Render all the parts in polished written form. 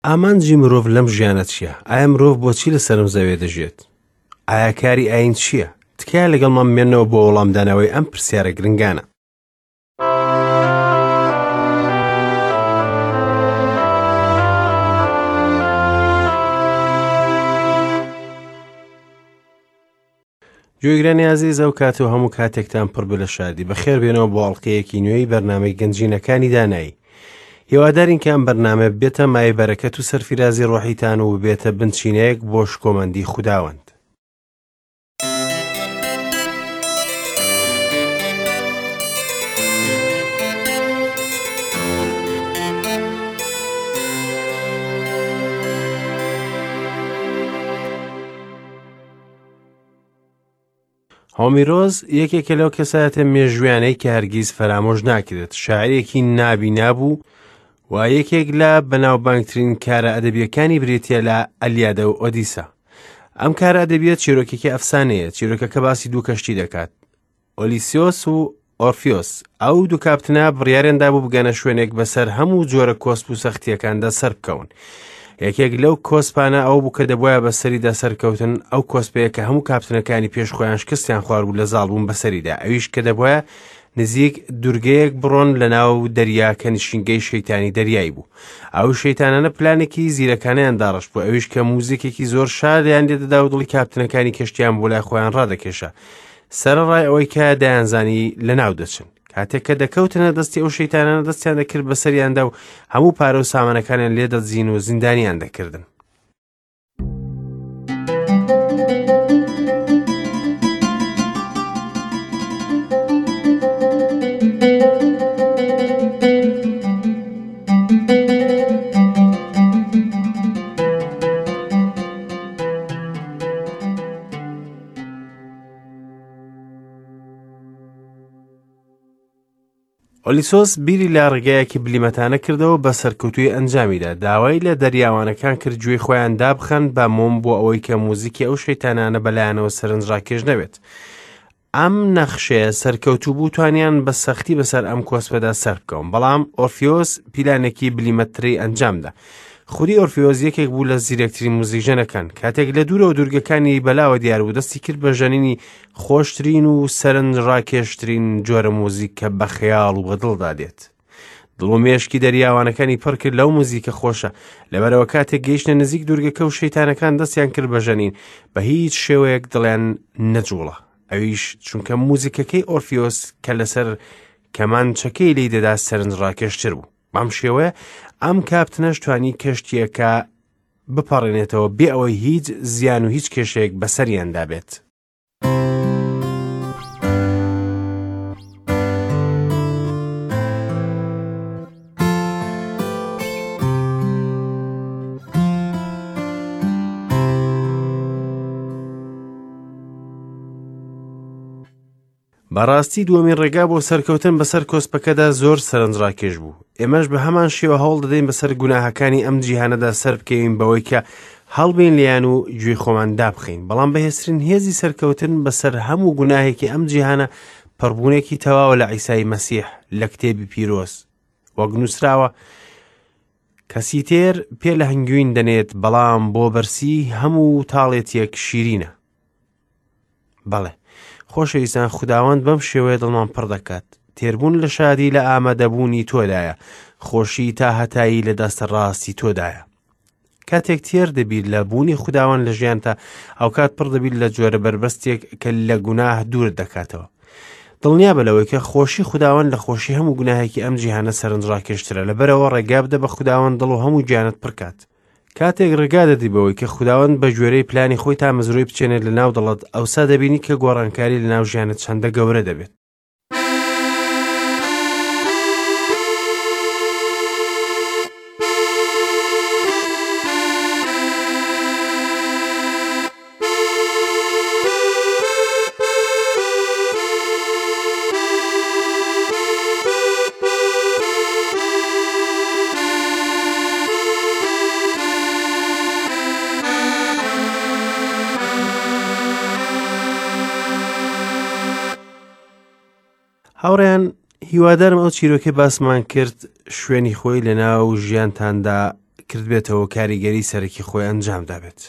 ئامانجی مرۆڤ لەم ژیانە چییە؟ ئایا مرۆڤ بۆچی لەسەر ئەم زەویە دەژیێت؟ ئایا کاری ئایین چییە؟ تکایە لەگەڵمان بمێنەوە بۆ وەڵامدانەوەی ئەم پرسیارە گرنگانە. گوێگرانی ئازیز ئەو کات و هەموو کاتێکتان پڕ بێ لە شادی بەخێر بێنەوە بۆ ئەڵلقەیەکی نوێی بەرنامەی گەنجینەکانی دانایی هیوادارین کە ئەم بەرنامە بێتە مای بەرەکەت و سەرفیرازی ڕۆحیتان و ببێتە بنچینەیەک بۆ شکۆمەندی خوداوەند هۆمیرۆس یەکێکە لەو کەسایەتە مێژویانەی کە هەرگیز فەرامۆش ناکرێت شاعرێکی نابینا بوو و یەکێک لە بەناوبانگترین کارە ئەدەبیەکانی بریتە لە ئەلیادە و ئۆدیسا ئەم کارە ئەدەبیە چیرۆکێکی ئەفسانەیە چیرۆکەکە باسی دوو کەشتی دەکات ئۆلیسیۆس و ئۆرفیۆس ئەو دوو کاپتنە بڕیاریان دابوو بگەنە شوێنێک بەسەر هەموو جۆرە کۆسپ و سەختیەکاندا سەربکەون. یەکێک لەو کۆسپانە ئەو بوو کە دەبواە بەسەریدا سەرکەوتن ئەو کۆسپەیە کە هەموو کاپتنەکانی پێش خۆیان شکستیان خواربوو لە زاڵبوون بەسەریدا ئەویش کە دەبواە نزیک دوورگەیەک بڕۆن لە ناو دەریا کە نشینگەی شەیتانی دەریایی بوو ئەو شەیتانانە پلانێکی زیرەکانیان داڕشت بوو ئەویش کە موزیکێکی زۆر شادیان لێدەدا و دڵی کاپتنەکانی کەشتیان بۆ لای خۆیان ڕادەکێشا سەرەڕای ئەوەی کە دەیانزانی لەناو دەچن. کاتێک کە دەکەوتنە دەستی ئەو شەیتانانە دەستیان دەکرد بەسەریاندا و هەموو پارە و سامانەکانیان لێ دەدزین و زیندانیان دەکردن. ئۆلیسۆس بیری لە ڕێگایەکی بلیمەتانە کردەوە بە سەرکەوتووی ئەنجامیدا داوای لە دەریاوانەکان کرد گوێی خۆیان دابخەن بە مۆم بۆ ئەوەی کە موزیکی ئەو شەیتانانە بەلایەنەوە سەرنجڕاکێش نەبێت ئەم نەخشەیە سەرکەوتوو بوو توانیان بە سەختی بەسەر ئەم کۆسپەدا سەربکەون بەڵام ئۆرفیۆس پیلانێکی بلیمەتتری ئەنجامدا خودی ئۆرفیۆس یەکێک بوو لە زیرەکترین موزیکژەنەکان کاتێک لە دوورەوە دوورگەکانی بەلاوە دیار بوو دەستی کرد بە ژەنینی خۆشترین و سەرنجڕاکێشترین جۆرە موزیک کە بە خەیاڵ و بە دڵدا دێت دڵ و مێشکی دەریاوانەکانی پڕ کرد لەو موزیکە خۆشە لەبەرەوە کاتێک گەیشتە نزیک دوورگەکە و شەیتانەکان دەستیان کرد بە ژەنین بە هیچ شێوەیەک دڵیان نەجوڵا ئەویش چونکە موزیکەکەی ئۆرفیۆس کە لەسەر کەمانچەکەی لی دەدا سەرنجڕاکێشتر بوو بەم شێوەیە ئەم کاپتنەش توانی کەشتیەکە بپەڕێنێتەوە بێ ئەوەی هیچ زیان و هیچ کێشەیەک بەسەریاندا بێت. بەڕاستی دووەمین ڕێگا بۆ سەرکەوتن بەسەر کۆسپەکەدا زۆر سەرنجڕاکێش بوو. ئێمەش بە هەمان شێوە هەوڵ دەدەین بەسەر گوناهەکانی ئەم جیهانەدا سەربکەوین بەوەی کە هەڵبین لێیان و گوێی خۆمان دابخەین. بەڵام بەهێزترین هێزی سەرکەوتن بەسەر هەموو گوناهێکی ئەم جیهانە پڕبوونێکی تەواوە لە عیسای مەسیح لە کتێبی پیرۆز. وەک نووسراوە، کەسی تێر پێ لە هەنگوین دەنێت بەڵام بۆ بەرسی هەموو تاڵێتیەک شیرینە. بەڵێ خۆشەویستان خوداوەند بەم شێوەیە دڵمان پڕ دەکات تێربوون لە شادی لە ئامادەبوونی تۆدایە خۆشی تا هەتایی لە دەستە ڕاستی تۆدایە کاتێک تێر دەبیت لە بوونی خوداوەند لە ژیانتا ئەوکات پڕ دەبیت لە جۆرە بەربەستێک کە لە گوناه دوور دەکاتەوە دڵنیا بە لەوەی کە خۆشی خوداوەند لە خۆشی هەموو گوناهێکی ئەم جیهانە سەرنجڕاکێشترە لەبەرەوە ڕێگا بدە بە خوداوەند دڵ و هەموو گیانت پڕکات کاتێک ڕێگا دەدی بەوەی کە خوداوەند بە گوێرەی پلانی خۆی تامەزرۆی بچێنێت لە ناو دڵت ئەوسا دەبینی کە گۆڕانکاری لە ناو ژیانت چەندە گەورە دەبێت. هاوڕێیان هیوادارم ئەو چیرۆکەی باسمان کرد شوێنی خۆی لە ناو ژیانتاندا کردبێتەوە و کاریگەری سەرەکی خۆی ئەنجام دابێت.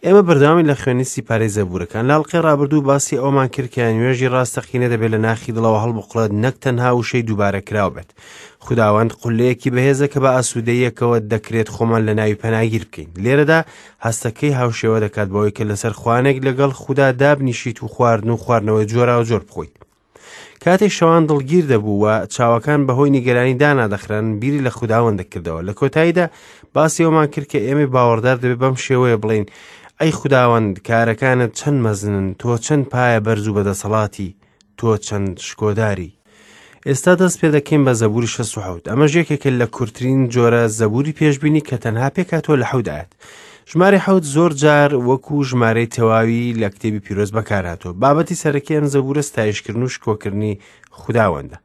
ئێمە بەردەوامی لە خوێندنی سیپارەی زەبوورەکان. لە ئەڵقەی ڕابردوو باسی ئەوەمان کرد کە نوێژی ڕاستەقینە دەبێت لە ناخی دڵەوە هەڵبقوڵێت نەک تەنها وشەی دووبارەکراو بێت. خوداوەند قولەیەکی بەهێزە کە بە ئاسوودەییەکەوە دەکرێت خۆمان لە ناوی پەناگیر بکەین. لێرەدا هەستەکەی هاوشێوە دەکات بەوەی کە لەسەر خوانێک لەگەڵ خودا دابنیشیت و خواردن و خواردنەوەی جۆراوجۆر بخۆیت. کاتێک شەوان دڵگیر دەبوو و چاوەکان بەهۆی نیگەرانی دانادەخران بیری لە خوداوەند دەکردەوە لە کۆتاییدا باسی ئەومان کرد کە ئێمەی باوەڕدار دەبێت بەم شێوەیە بڵێین ئەی خوداوەند کارەکانت چەند مەزنن تۆ چەند پایە بەرز و بەدەسەڵاتی تۆ چەند شکۆداری ئێستا دەست پێ دەکەین بە زەبوری 67 ئەمەش یەکێکە لە کورتترین جۆرە زەبوری پێشبینی کە تەنها پێکهاتووە لە حەوت ئاەت ژمارەی حەوت زۆر جار وەکو ژمارەی تەواوی لە کتێبی پیرۆز بەکارهاتووە. بابەتی سەرەکی ئەم زەبوورە ستایشکردن و شکۆکردنی خوداوەندە.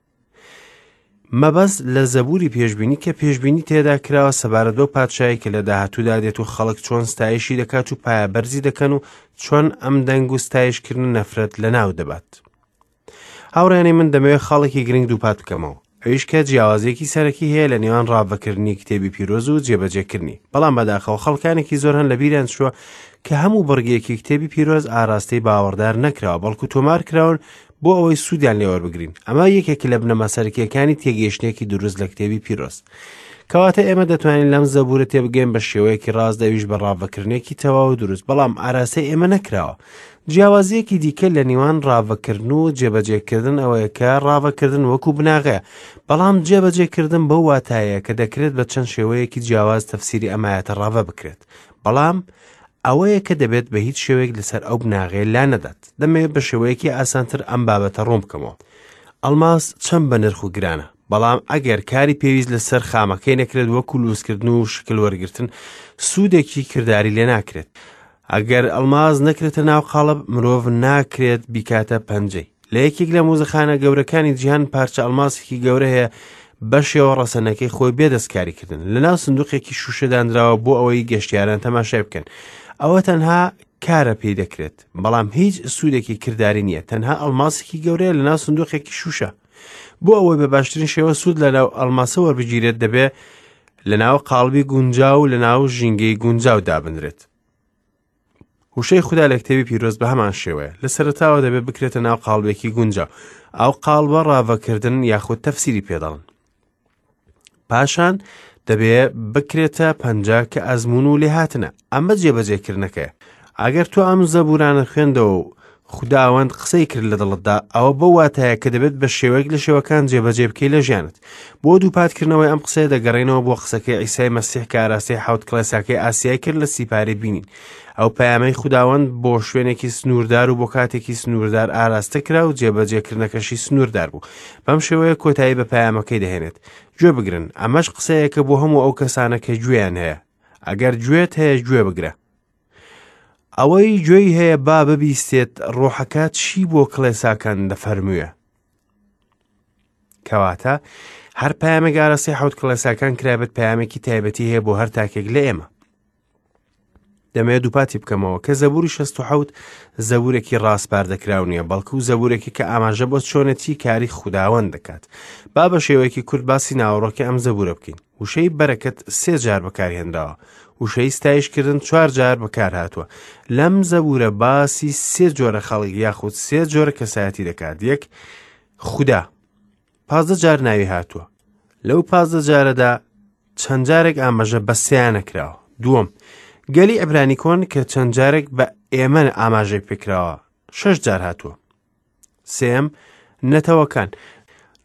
مەبەست لە زەبوری پێشبینی کە پێشبینی تێدا کراوە سەبارەت بەو پادشایی کە لە داهاتوودا دێت و خەڵک چۆن ستایشی دەکات و پایە بەرزی دەکەن و چۆن ئەم دەنگ و ستایشکردن نەفرەت لەناو دەبات. هاوڕێیانی من دەمەوێت خاڵێکی گرنگ دووپات بکەمەوە ئەویش کە جیاوازیەکی سەرەکی هەیە لە نێوان ڕاڤەکردنی کتێبی پیرۆز و جێبەجێکردنی بەڵام بەداخەوە خەڵکانێکی زۆر هەن لە بیریان چووە کە هەموو بڕگێکی کتێبی پیرۆز ئاراستەی باوەڕدار نەکراوە بەڵکو تۆمار کراون بۆ ئەوەی سوودیان لێوەربگرین ئەمە یەکێک لە بنەما سەرەکیەکانی تێگەیشتێکی دروست لە کتێبی پیرۆز کەواتە ئێمە دەتوانین لەم زەبورە تێبگەین بە شێوەیەکی ڕاست ئەویش بە ڕاڤەکردنێکی تەواو و دروست بەڵام ئاراستەی ئێمە نەکراوە جیاوازییەکی دیکە لە نێوان ڕاڤەکردن و جێبەجێکردن ئەوەیە کە ڕاڤەکردن وەکو بناغەیە، بەڵام جێبەجێکردن بەو واتایەیە کە دەکرێت بە چەند شێوەیەکی جیاواز تەفسیری ئەم ئایەتە ڕاڤە بکرێت، بەڵام ئەوەیە کە دەبێت بە هیچ شێوەیەک لەسەر ئەو بناغەیە لا نەدات. دەمەوێت بە شێوەیەکی ئاسانتر ئەم بابەتە ڕوون بکەمەوە. ئەڵماس چەند بەنرخ و گرانە، بەڵام ئەگەر کاری پێویست لەسەر خامەکەی نەکرێت وەکو لووسکردن و شکل وەرگرتن، سوودێکی کرداری لێ ناکرێت. ئەگەر ئەڵماس نەکرێتە ناو قاڵب، مرۆڤ ناکرێت بیکاتە پەنجەی. لە یەکێک لە موزەخانە گەورەکانی جیهان پارچە ئەڵماسێکی گەورە هەیە بە شێوە ڕەسەنەکەی خۆی بێ دەستکاریکردن لە ناو سندوقێکی شوشە دانراوە بۆ ئەوەی گەشتیاران تەماشای بکەن. ئەوە تەنها کارە پێی دەکرێت، بەڵام هیچ سوودێکی کرداری نییە، تەنها ئەڵماسێکی گەورەیە لە ناو سندوقێکی شوشە. بۆ ئەوەی بە باشترین شێوە سوود لە ناو ئەڵماسە وەربگیرێت دەبێ لە ناو قاڵبی گونجاو و لە ناو ژینگەی گونجاو دابنرێت. وشەی خودا لە کتێبی پیرۆز بە هەمان شێوەیە لە سەرەتاوە دەبێت بکرێتە ناو قاڵبێکی گونجاو ئەو قاڵبە ڕاڤەکردن یاخود تەفسیری پێدەڵن پاشان دەبێ بکرێتە پەنجا کە ئەزمون و لێهاتنە ئەمە جێبەجێکردنەکەیە ئەگەر تۆ ئەم زەبورانە خوێندەوە و خوداوەند قسەی کرد لە دڵتدا ئەوە بەو واتایە کە دەبێت بە شێوەیەک لە شێوەکان جێبەجێ بکەی لە ژیانت بۆ دووپاتکردنەوەی ئەم قسەیە دەگەڕێنەوە بۆ قسەکەی عیسای مەسیح کە ئاراستەی حەوت کڵێساکەی ئاسیای کرد لە سیپارەی بینین ئەو پەیامەی خوداوەند بۆ شوێنێکی سنووردار و بۆ کاتێکی سنووردار ئاراستە کرا و جێبەجێکردنەکەشی سنووردار بوو بەم شێوەیە کۆتایی بە پەیامەکەی دەهێنێت گوێ بگرن ئەمەش قسەیەکە بۆ هەموو ئەو کەسانە کە گوێیان هەیە ئەگەر گوێت هەیە گوێ بگرە ئەوەی گوێی هەیە با ببیستێت ڕۆحەکە چی بۆ کڵێساکان دەفەرموێ کەواتە هەر پەیامێک ئاراستەی حەوت کڵێساکان کرابێت پەیامێکی تایبەتی هەیە بۆ هەر تاکێک لە ئێمە دەمەوێت دووپاتی بکەمەوە کە زەبوری 67 زەبورێکی ڕاسپاردەکراو نییە بەڵکو زەبورێکی کە ئاماژە بۆ چۆنێتی کاری خوداوەند دەکات با بە شێوەیەکی کورت باسی ناوەڕۆکی ئەم زەبورە بکەین وشەی بەرەکەت سێ جار بەکارهێنراوە وشەی ستایشکردن چوار جار بەکارهاتووە لەم زەبورە باسی سێ جۆرە خەڵک یاخود سێ جۆرە کەسایەتی دەکات یەک خودا 15 جار ناوی هاتووە لەو 15 جارەدا چەند جارێک ئاماژە بە سیانە کراوە دووەم گەلی عبرانی کۆن کە چەند جارێک بە ئێمە ئاماژەی پێکراوە شش جار هاتووە سێم نەتەوەکان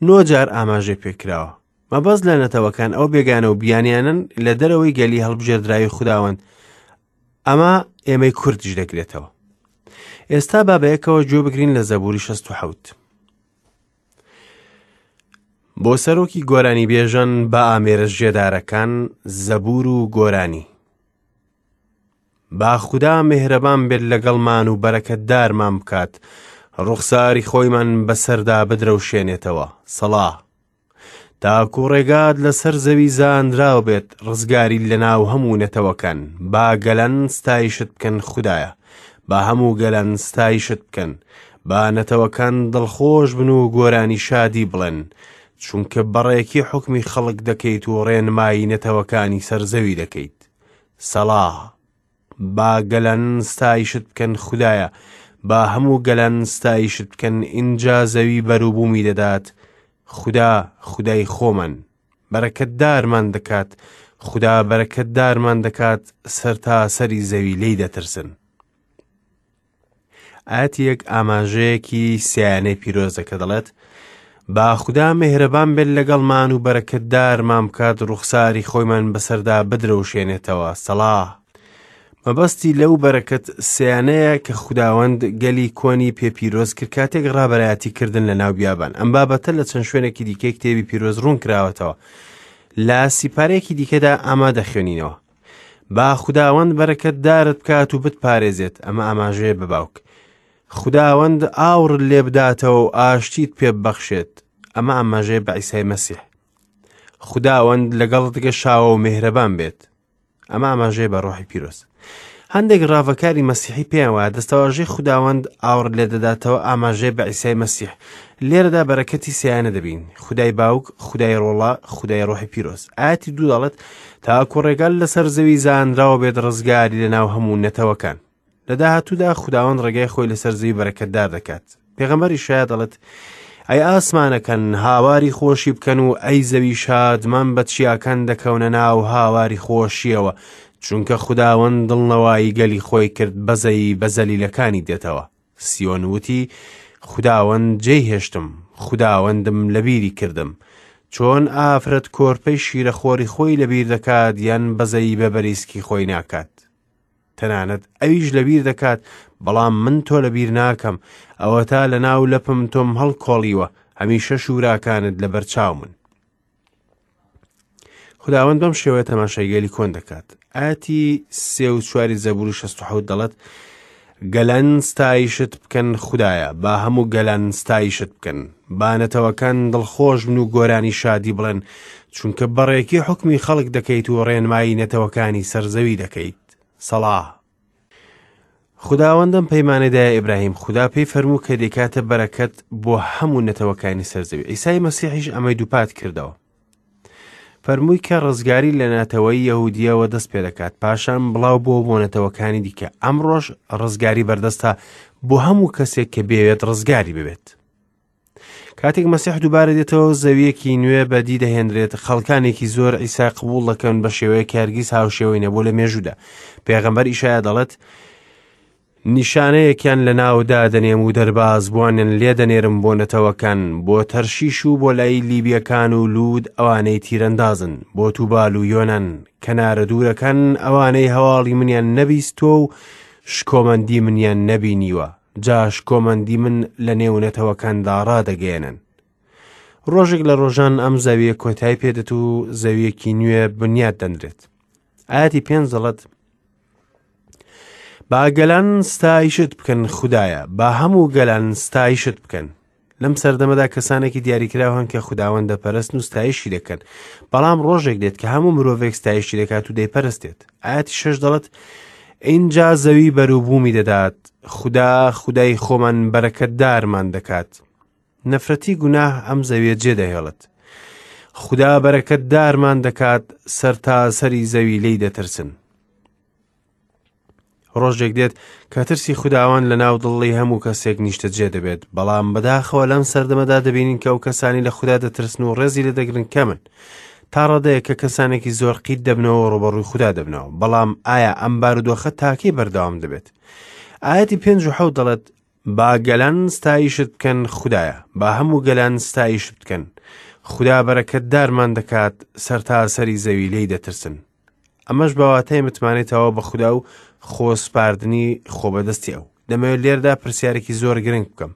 نۆ جار ئاماژەی پێکراوە مەبەست لە نەتەوەکان ئەو بێگانە و بیانیانن لە دەرەوەی گەلی هەڵبژێردراوی خوداوەند ئەمە ئێمەی کوردیش دەگرێتەوە ئێستا با بەیەکەوە گوێ بگرین لە زەبوری 67 بۆ سەرۆکی گۆرانی بێژەن بە ئامێرە ژێدارەکان زەبور و گۆرانی با خودا میهرەبان بێت لەگەڵمان و بەرەکەتدارمان بکات ڕوخساری خۆیمان بەسەردا بدرەوشێنێتەوە سەڵا تاکو ڕێگات لەسەر زەوی زانراو بێت ڕزگاری لەناو هەموو نەتەوەکان با گەلان ستایشت بکەن خودایە با هەموو گەلان ستایشت بکەن با نەتەوەکان دڵخۆش بن و گۆرانی شادی بڵێن. چونکە بەڕێکی حوکمی خەڵک دەکەیت و ڕێنمایی نەتەوەکانی سەر زەوی دەکەیت. سەڵا. با گەلان ستایشت بکەن خودایە، با هەموو گەلان ستایشت بکەن، ئینجا زەوی بەروبوومی دەدات، خودا، خودای خۆمان، بەرەکەتدارمان دەکات، خودا بەرەکەتدارمان دەکات، سەرتاسەری زەوی لێی دەترسن. ئایەتی یەک ئاماژەیەکی سیانەی پیرۆزە کە دەڵێت با خودا مێهرەبان بێت لەگەڵمان و بەرەکەتدارمان بکات ڕوخساری خۆیمان بەسەردا بدرەوشێنێتەوە سەڵا مەبەستی لەو بەرەکەت سیانەیە کە خوداوەند گەلی کۆنی پێ پیرۆز کرد کاتێک ڕابەرایەتی کردن لە ناو بیابان ئەم بابەتە لە چەند شوێنێکی دیکەی کتێبی پیرۆز ڕوون کراوەتەوە لە سیپارێکی دیکەدا ئەمە دەخوێنینەوە با خوداوەند بەرەکەتدارت بکات و بتپارێزێت، ئەمە ئاماژەیە بە باوک. خوداوەند ئاوڕت لێ بداتەوە و ئاشتیت پێ ببەخشێت، ئەمە ئاماژەیە بە عیسای مەسیح. خوداوەند لەگەڵت گەشاوە و مێهرەبان بێت، ئەمە ئاماژەیە بە ڕۆحی پیرۆز. هەندێک ڕاڤەکاری مەسیحی پێیان وایە دەستەواژەی خوداوەند ئاوڕ لێ دەداتەوە ئاماژەیە بە عیسای مەسیح. لێرەدا بەرەکەتی سیانە دەبین، خودای باوک، خودای ڕۆڵە، خودای ڕۆحی پیرۆز. ئاەتی دوو دەڵێت تاکو ڕێگا لەسەر زەوی زانراوە بێت ڕزگاری لەناو هەموو نەتەوەکان. لە داهاتوودا خوداوەند ڕێگای خۆی لەسەر زەوی بەرەکەتدار دەکات. پێغەمبەر ئیشایا دەڵێت ئەی ئاسمانەکان هاواری خۆشی بکەن و ئەی زەوی شادمان بە چیاکان دەکەونە ناو هاواری خۆشیەوە چونکە خوداوەند دڵنەوایی گەلی خۆی کرد بەزەیی بە زەلیلەکانی دێتەوە سیۆن وتی خوداوەند جێی هێشتم خوداوەندم لەبیری کردم چۆن ئافرەت کۆرپەی شیرەخۆری خۆی لەبیر دەکات یان بەزەیی بە بەریسکی خۆی ناکات تەنانەت ئەویش لەبیر دەکات، بەڵام من تۆ لەبیر ناکەم، ئەوەتا لەناو لەپم تۆم هەڵکۆڵیوە، هەمیشە شووراکانت لەبەر چاومن. خداوەند بەم شێوەیە تەماشای گەلی کۆن دەکات. ئاەتی سێ و چواری زەبوری 67 دەڵێت گەلان ستایشت بکەن خدایە با هەموو گەلان ستایشت بکەن با نەتەوەکان دڵخۆش بن و گۆرانی شادی بڵێن چونکە بەڕێکی حکمی خەڵک دەکەیت و ڕێنمایی نەتەوەکانی سەرزەوی دەکەیت سەڵا خوداوەندم پەیمانەی دایە ئیبراهیم خودا پێی فەرموو کە دەیکاتە بەرەکەت بۆ هەموو نەتەوەکانی سەرزەوی ئیسای مەسیحیش ئەمەی دووپات کردەوە فەرمووی کە ڕزگاری لە نەتەوەی یەهودیەوە دەست پێ دەکات پاشان بڵاو بۆ بۆ نەتەوەکانی دیکە ئەمڕۆژ ڕزگاری بەردەستە بۆ هەموو کەسێک کە بێوێت ڕزگاری ببێت کاتێک مەسیح دووبارە دێتەوە زەویەکی نوێ بەدی دەهێنرێت خەڵکانێکی زۆر ئیسا قبوڵ دەکەن بە شێوەیەک هەرگیز هاوشێوەی نەبوو لە مێژوودا پێغەمبەر ئیشایا دەڵێت نیشانەیەکیان لە ناودا دەنێم و دەربازبووانیان لێ دەنێرم بۆ نەتەوەکان بۆ تەرشیش و بۆ لای لیبیەکان و لوود ئەوانەی تیرەندازن بۆ توبال و یۆنان کەنارە دوورەکان ئەوانەی هەواڵی منیان نەبیستووە و شکۆمەندی منیان نەبینیوە جا شکۆمەندی من لە نێو نەتەوەکاندا ڕادەگەیەنن. ڕۆژێک لە ڕۆژان ئەم زەویە کۆتای پێدێت و زەویەکی نوێ بنیات دەنرێت. ئاەتی پێنج دەڵێت با گەلان ستایشت بکەن خودایە با هەموو گەلان ستایشت بکەن لەم سەردەمەدا کەسانێکی دیاریکراو هەن کە خوداوەند دەپەرستن و ستایشی دەکەن بەڵام ڕۆژێک دێت کە هەموو مرۆڤێک ستایشی دەکات و دەیپەرستێت ئاەتی شەش دەڵێت ئینجا زەوی بەروبوومی دەدات خودا خودای خۆمان بەرەکەتدارمان دەکات نەفرەتی گوناه ئەم زەویە جێدەهێڵێت خودا بەرەکەتدارمان دەکات سەرتاسەری زەوی لێی دەترسن ڕۆژێک دێت کە ترسی خوداوەند لە ناو دڵی هەموو کەسێک نیشتەجێ دەبێت، بەڵام بەداخەوە لەم سەردەمەدا دەبینین کە ئەو کەسانی لە خودا دەترسن و ڕێزی لێ دەگرن کەمن. تا ڕادەیەک کە کەسانێکی زۆر قیت دەبنەوە و ڕووبەڕووی خودا دەبنەوە. بەڵام ئایا ئەم بارودۆخە تاکەی بەردەوام دەبێت؟ ئایەتی پێنج و حەوت دەڵێت با گەلان ستایشت بکەن خودایە، با هەموو گەلان ستایشت بکەن. خودا بەرەکەتدارمان دەکات، سەرتاسەری زەوی لێی دەترسن. ئەمەش بە واتای متمانەی تەواو بە خودا و خۆسپاردنی خۆ بەدەستی ئەو. دەمەوێت لێردا پرسیارێکی زۆر گرنگ بکەم.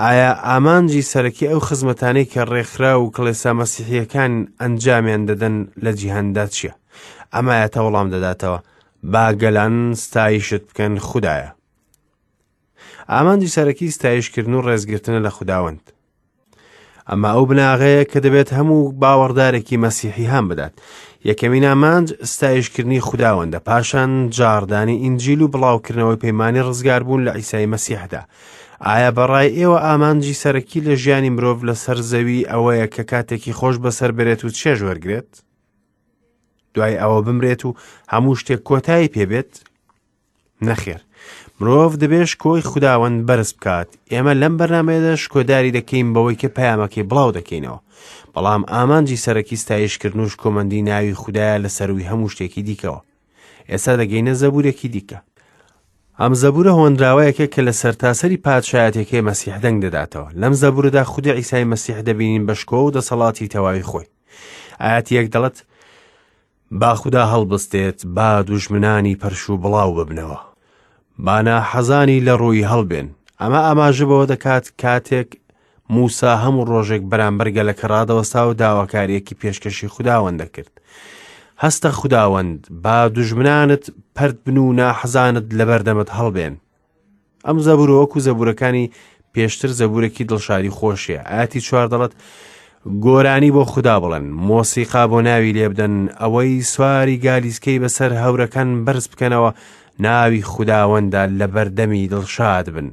ئایا ئامانجی سەرەکی ئەو خزمەتانەی کە ڕێکخراو و کڵێسا مەسیحییەکان ئەنجامیان دەدەن لە جیهاندا چییە؟ ئەم ئایەتە وەڵام دەداتەوە، با گەلان ستایشت بکەن خودایە. ئامانجی سەرەکی ستایشکردن و ڕێزگرتنە لە خوداوەند. ئەمە ئەو بناغەیە کە دەبێت هەموو باوەڕدارێکی مەسیحی هان بدات. یەکەمین ئامانج ستایشکردنی خوداوەندە، پاشان جاڕدانی ئینجیل و بڵاوکردنەوەی پەیمانی ڕزگاربوون لە عیسای مەسیحدا. ئایا بەڕای ئێوە ئامانجی سەرەکی لە ژیانی مرۆڤ لەسەر زەوی ئەوەیە کە کاتێکی خۆش بەسەر بەرێت و چێژ وەرگێت؟ دوای ئەوە بمرێت و هەموو شتێک کۆتایی پێبێت؟ نەخێر مرۆڤ دەبێ شکۆی خوداوەند بەرز بکات ئێمە لەم بەرنمەیەدا شکۆداری دەکەین بەوەی کە پەیامەکەی بڵاو دەکەینەوە بەڵام ئامانجی سەرەکی ستایشکردن و شکۆمەندی ناوی خودایە لە سەروی هەموو شتێکی دیکەوە ئێستا دەگەینە زەبورێکی دیکە ئەم زەبورە هۆنراوەیەکە کە لە سەرتاسەری پادشایەتەکەی مەسیح دەنگ دەداتەوە لەم زەبورەدا خودی عیسای مەسیح دەبینین بە شکۆ و دەسەڵاتی تەواوی خۆی ئاەتی یەک دەڵێت با خودا هەڵبستێت، با دوژمنانی پەرش و بڵاو ببنەوە. با ناحەزانی لە ڕووی هەڵبێن. ئەمە ئاماژە بەوە دەکات کاتێک موسا هەموو ڕۆژێک بەرامبەر گەلەکە ڕادەوەستا و داواکاریەکی پێشکەشی خوداوەند دەکرد. هەستە خوداوەند، با دوژمنانت پەرت بن و ناحەزانت لەبەردەمت هەڵبێن. ئەم زەبورە وەکو زەبورەکانی پێشتر زەبورێکی دڵشادی خۆشیە ئاتی چوار دەڵێت گۆرانی بۆ خودا بڵێن مۆسیقا بۆ ناوی لێبدەن ئەوەی سواری گالیسکەی بەسەر هەورەکان بەرز بکەنەوە ناوی خوداوەندە لە بەردەمی دڵشاد بن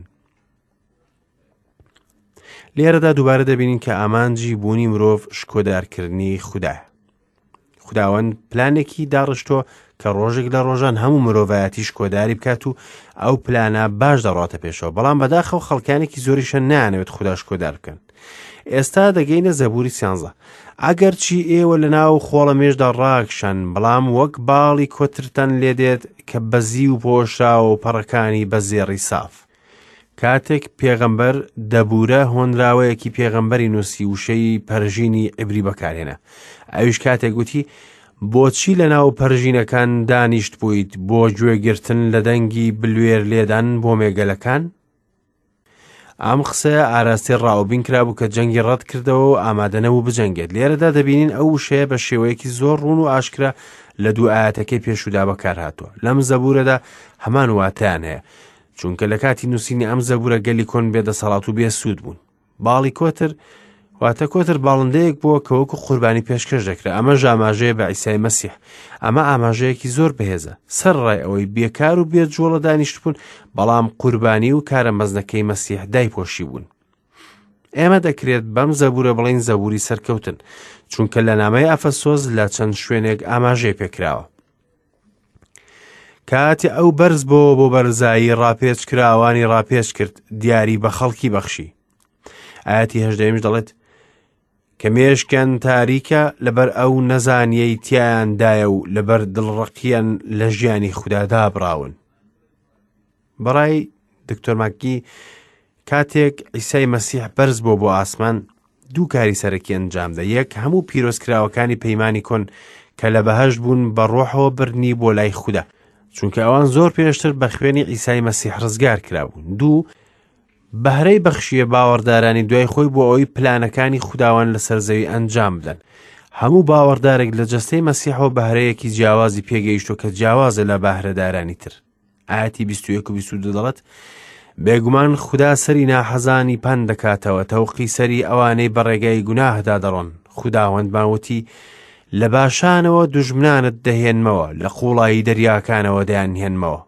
لێرەدا دووبارە دەبینین کە ئامانجی بوونی مرۆڤ شکۆدارکردنی خودایە خوداوەند پلانێکی داڕشتووە کە ڕۆژێک لە ڕۆژان هەموو مرۆڤایەتی شکۆداری بکات و ئەو پلانە باش دەڕاتە پێشەوە بەڵام بەداخەوە خەڵکانێکی زۆریشە نانەوێت خودا شکۆدار بکەن ئێستا دەگەینە زەبوری سیانزە ئەگەر چی ئێوە لە ناو خۆڵە مێشدا ڕاکشان بەڵام وەک باڵی کۆترتان لێدێت کە بەزی و پۆشراوە و پەڕەکانی بە زێڕی ساف کاتێک پێغەمبەر دەبورە هۆنراوەیەکی پێغەمبەری نووسی وشەی پەرژینی عیبری بەکارهێنا ئەویش کاتێک گوتی بۆچی لە ناو پەرژینەکان دانیشت بوویت بۆ گوێگرتن لە دەنگی بلوێر لێدان بۆ مێگەلەکان ئەم قسەیە ئاراستەی ڕاوبین کرابوو کە جەنگی ڕەت کردەوە و ئامادە نەبوو بجەنگێت لێرەدا دەبینین ئەو وشەیە بە شێوەیەکی زۆر ڕوون و ئاشکرا لە دوو ئاەتەکەی پێشودا بەکارهاتووە لەم زەبورەدا هەمان واتایان هەیە چونکە لە کاتی نووسینی ئەم زەبورە گەلی کۆن بێ دەسەڵات و بێ سوود بوون باڵی کۆتر واتە کۆتر باڵندەیەک بووە کە وەکو قوربانی پێشکەش دەکرا ئەمە ژاماژەیە بە ئیسای مەسیح ئەمە ئاماژەیەکی زۆر بەهێزە سەر ڕای ئەوەی بێکار و بێ جوڵە دانیشتبوون بەڵام قوربانی و کارە مەزنەکەی مەسیح دایپۆشی بوون ئێمە دەکرێت بەم زەبورە بڵین زەبوری سەرکەوتن چونکە لە نامەی ئەفەسۆز لە چەند شوێنێک ئاماژەی پێکراوە کاتێ ئەو بەرز بۆوە بۆ بەرزایی ڕاپێچ کراوانی ڕاپێچ کرد دیاری بە خەڵکی بەخشی ئاەتی هەژدەیەمیش دەڵێت کە مێشکیان تاریکە لەبەر ئەو نەزانیەی تیایاندایە و لەبەر دڵڕەقیان لە ژیانی خودا دابراون بەڕای دکتۆر ماکی کاتێک عیسای مەسیح بەرز بۆ بۆ ئاسمان دوو کاری سەرەکی ئەنجامدا یەک هەموو پیرۆزکراوەکانی پەیمانی کۆن کە لە بەهەشت بوون بە ڕۆحەوە بردنی بۆ لای خودا چونکە ئەوان زۆر پێشتر بە خوێنی عیسای مەسیح ڕزگار کرابوون دوو بەهرەی بەخشیە باوەڕدارانی دوای خۆی بۆ ئەوەی پلانەکانی خوداوەند لەسەر زەوی ئەنجام بدەن هەموو باوەڕدارێک لە جەستەی مەسیحەوە بەهرەیەکی جیاوازی پێگەیشتووە کە جیاوازە لە بەهرەدارانی تر ئاەتی 21 و 22 دەڵێت بێگومان خودا سەری ناحەزانی پەن دەکاتەوە تەوقی سەری ئەوانەی بە ڕێگای گوناهدا دەڕۆن خوداوەندمان وتی لە باشانەوە دوژمنانت دەهێنمەوە لە قوڵایی دەریاکانەوە دەیانهێنمەوە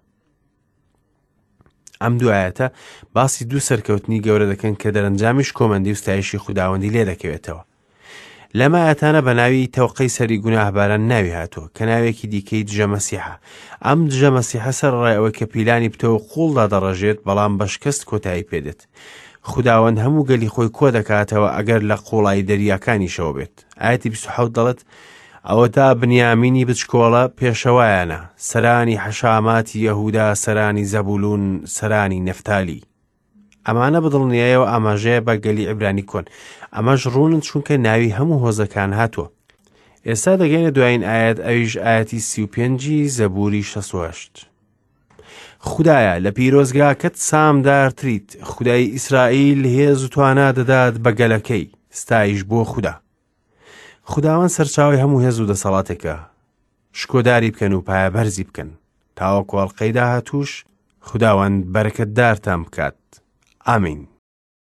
ئەم دوو ئایەتە باسی دوو سەرکەوتنی گەورە دەکەن کە دەرەنجامیش کۆمەندی و ستایشی خوداوەندی لێ دەکەوێتەوە لەم ئاەتانە بە ناوی تەوقەی سەری گوناهباران ناوی هاتووە کە ناوێکی دیکەی دژە مەسیحە ئەم دژە مەسیحە سەر ڕای ئەوەی کە پیلانی پتە و قوڵدا دەڕژێت بەڵام بە شکست کۆتایی پێدێت خوداوەند هەموو گەلی خۆی کۆ دەکاتەوە ئەگەر لە قوڵایی دەریاکانیشەوە بێت ئاەتی 27 دەڵێت ئەوەتا بنیامینی بچکۆڵە پێشەوایانە، سەرانی حەشاماتی یەهودا، سەرانی زەبولون، سەرانی نەفتالی. ئەمانە بە دڵنیایەوە ئاماژەیە بە گەلی عیبرانی کۆن. ئەمەش ڕوونن چونکە ناوی هەموو هۆزەکان هاتووە. ئێستا دەگەینە دوایین ئایەت ئەویش ئایەتی 35 زەبوری 68. خودایە لە پیرۆزگاکەت سامدارتریت، خودای ئیسرائیل هێز و توانا دەدات بە گەلەکەی، ستایش بۆ خودا. خوداوەند سەرچاوەی هەموو هێز و دەسەڵاتێکە شکۆداری بکەن و پایەبەرزی بکەن تاوەکو ئەڵقەی داهاتووش خوداوەند بەرەکەتدارتان بکات ئامین.